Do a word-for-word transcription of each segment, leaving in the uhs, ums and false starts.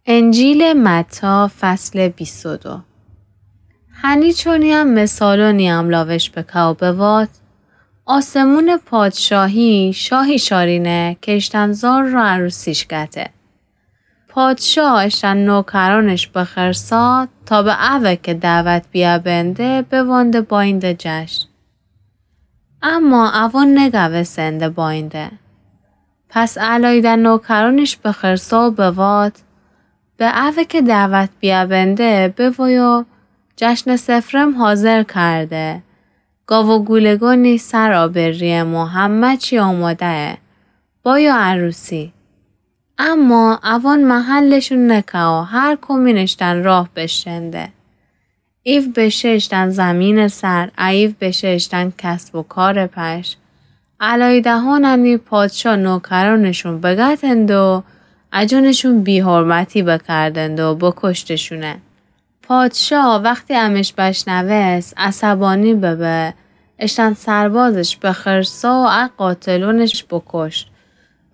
انجیلٚ متی، فصلٚ بیست و دو. هنی چونی هم مثالونی املاوش بکه و بوات: آسمونٚ پادشاهی شاهی شارینه که اشتن زار را عروسیش گته. پادشاه اشتن نوکرونش بخرسا تا به اوه که دعوت بیه بنده بوانده باینده جشن. اما اوان نگوستنده باینده. پس علایده نوکرونش بخرسا و بوات: به اوه که دعوت بیه بنده بوایو، جشنٚ سفرم حاضر کرده. گاو و گولگانی سر آبریمو همه چی آماده‌یه. بایو عروسی. اما اوان محلشون نکه و هر کمین اشتن راه بشنده. ایو بشه اشتن زمینٚ سر، ایو بشه اشتن کسب و کارٚ پش. علایدهانه نی پادشاه نوکرونشون بگتند و اجونشون بی‌حرمتی بکردند و بکشتشونه. پادشاه وختی امش بشنوست، عصبانی ببه، اشتن سربازش بخرسا و ا قاتلونش بکشت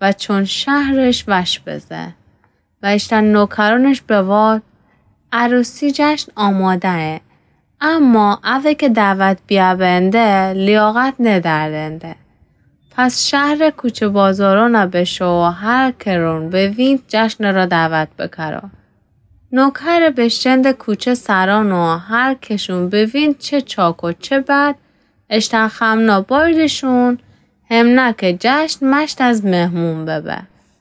و چون شهرش وش بزه. و اشتن نوکرونش بوات: عروسی جشن آماده‌یه، اما اوه که دعوت بیه بنده لیاقت ندردنده. پس شهرٚ کوچه بازارانه بشو و هر کرون بوینید جشن را دعوت بکرو. نوکر بشتنده کوچه سران و هر کشون بوینید چه چاک و چه بد، اشتن خمنا بایدشون، همنه که جشن مشت از مهمون ببه.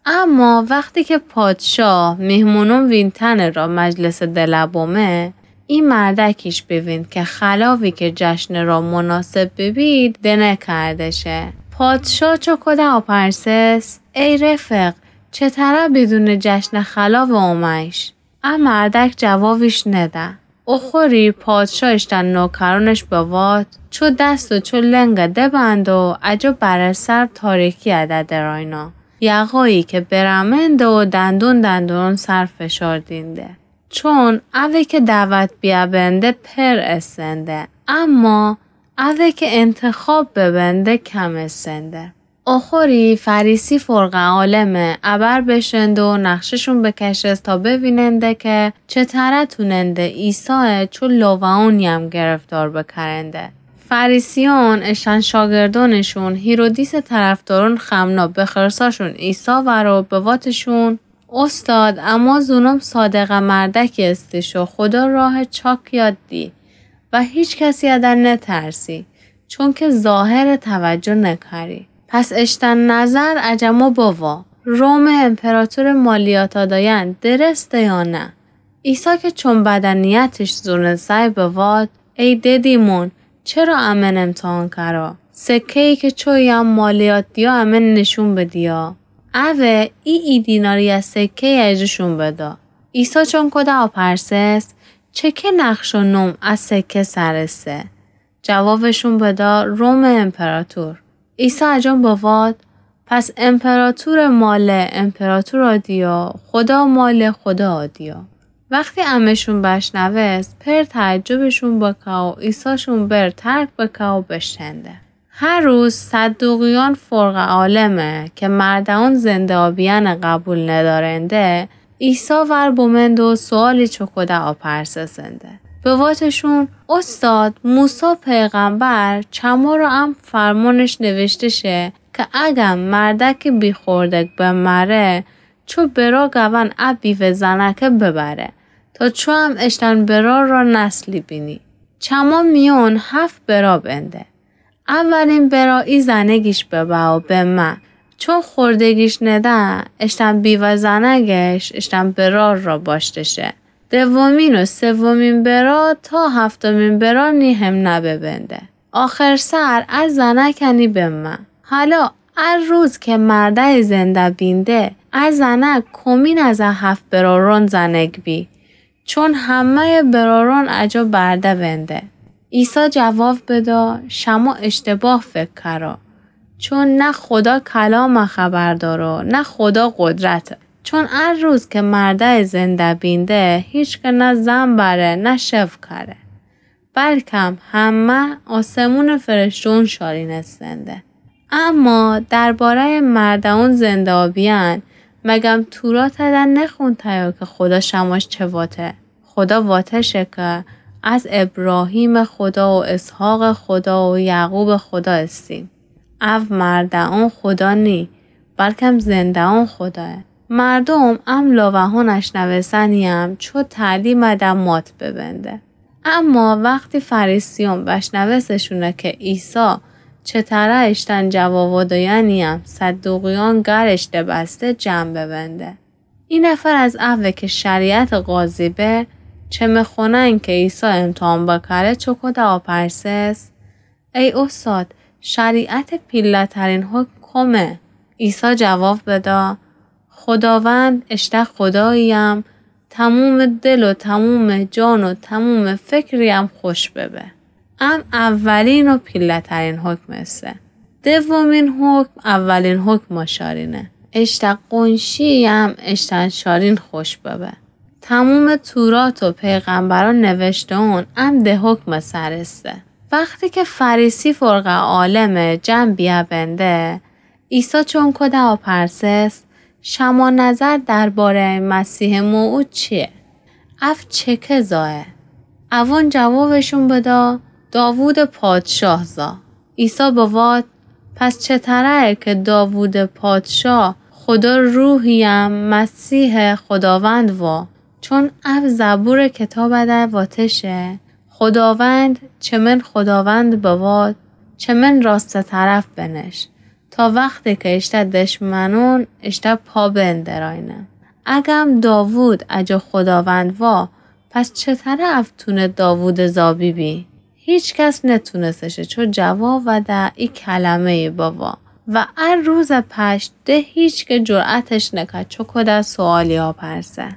اما وختی که پادشاه مهمونون وینتنٚ را مجلسٚ دله بامه، ای مردکیش بویند که خلاوی که جشنٚ را مناسب ببید دنه کرده شه. پادشاه چو کوده آپرسس: ای رفق، چه تره بدونٚ جشنٚ خلاو آمه‌ییش؟ ا مردک جوابیش نده. اخوری پادشاه اشتن نوکرونش بوات: چو دست و چو لنگه دبند و اجو بره سر تاریکیه ده دراینا. یقایی که برمنده و دندون دندون سر فشار دینده. چون اوه که دعوت بیه بنده پر استنده، اما اوه که انتخاب ببنده کم استنده. اخوری فریسی فرقه عالمه ابر بشنده و نقشه‌شون بکشست تا بویننده که چه تره توننده عیسایه چو لاوه‌ونی هم گرفتار بکرنده. فریسیون اشتن شاگردونشون هیرودیسٚ طرفدارون خمنا بخرساشون عیسی ور و بواتشون: استاد، اما زونم صادقه مردکی استیش و خودا راه چاک یاد دی و هیچ کسی ادر نترسی، چونکه ظاهر توجه نکری. پس اشتن نظر اجما بوا، رومٚ امپراتورٚ مالیاتا دایند درسته یا نه؟ عیسی که چون بدنیتش زونسای بوات: ای ددیمون، چرا امن امتحان کرا؟ سکه‌یی که چویم مالیات دیا امن نشون بدیا. اوه ای ای دیناری از سکه‌یی اجوشون بدا. عیسی چون کوده آپرسس: چه که نقش و نوم از سکه سرسه؟ جوابشون بدا: رومٚ امپراتور. عیسی اجون بوات: پس امپراتورٚ ماله امپراتورا دیا، خودا ماله خودا دیا. وختی امشون بشنوست، پر تعجبشون بکه و عیساشون بر ترک بکه و بشتنده. هر روز صدوقیان فرقه عالمه که مرده‌ون زنده آبیأنه قبول ندارنده، عیسی ور بمند و سؤالی چوکوده آپرسسنده. بواتشون: استاد، موسی پیغمبر چمارا ام فرمانش نوشته شه که اگم مردکی بیخوردک بمره، چو برا گون ا بیوه زنکه ببره، تا چو ام اشتن برار را نسلی بینی. چما میون هفت برا بنده. اولین برا ای زنگیش ببه و بمه. چون خوردگیش نده، اشتن بیوه زنگش اشتن برار را باشته شه. دومین و سومین برا تا هفتمین برا نی همنه ببنده. آخر سر ا زنک نی بمه. حالا ا روز که مرده زنده بینده، ا زنک کمین از ا هفت برارون زنک بی؟ چون همه‌یٚ برارون اجا برده بنده. عیسی جواب بدا: شما اشتباه فکر کرا، چون نه خودا کلام خبر دارا، نه خودا قدرت. چون ا روز که مرده زنده بینده، هیچ که نه زن بره، نه شو کره. بلکم همه آسمون فرشتون شارینستنده. اما درباره‌یٚ مرده‌ون زنده آبیأن، مگم توراتٚ در نخوأنتیی که خودا شماش چه واته؟ خودا واته شه که از ابراهیمٚ خودا و اسحاقٚ خودا و یعقوبٚ خودا استیم. او مرده‌ئون خودا نی، بلکم زنده‌ئون خودایه. مردوم ام لاوهان اشنوستنییم چو تعلیمٚ در مات ببنده. اما وختی فریسیون بشنوستشونه که عیسی چتره اشتن جوابا دویانییم صدوقیون گرش دبسته جمع ببنده. ای نفر از اوه که شریعتٚ قاضی به، چه مخونن که عیسی امتحان بکره، چوکوده آپرسس: ای اوستاد، شریعتٚ پیله‌ترین حکم کمه؟ عیسی جواب بده: خوداوند، اشته خوداییم، تمومٚ دل و تمومٚ جان و تمومٚ فکریم خوش ببه. ام اولین و پیله‌ترین حکم ایسه. دومین حکم اولین حکما شارینه. اشته قونشی‌یم اشتأن شارین خوش ببه. تمومٚ تورات و پیغمبران نوشته‌ئون ام ده حکمٚ سر ایسه. وختی که فریسی فرقه عالمه جمع بیأ بنده، عیسی چون کوده آپرسس: شما نظر درباره‌یٚ مسیحٚ موعود چیه؟ او چکه زایه؟ اوون جوابشون بده: داوودٚ پادشاه زا. عیسی بوات: پس چتره‌یه که داوودٚ پادشاه خودا روحی‌یم مسیحٚ خوداوند وا؟ چون او زبورٚ کتابٚ در واته شه: خوداوند، چه من خوداوند بوات، چه من راستٚ طرف بنش، تا وختی که اشته دشمنون اشته پا بندرأینه. اگم داوود اجا خوداوند وا، پس چتره او تونه داوودٚ زا بیبی؟ هیچکس نتونسه شه چو جواب وده ای کلمه‌یی بوا. و ا روزٚ پشت ده هیچکه جرأتش نکه چو کوده سوالی آپرسه.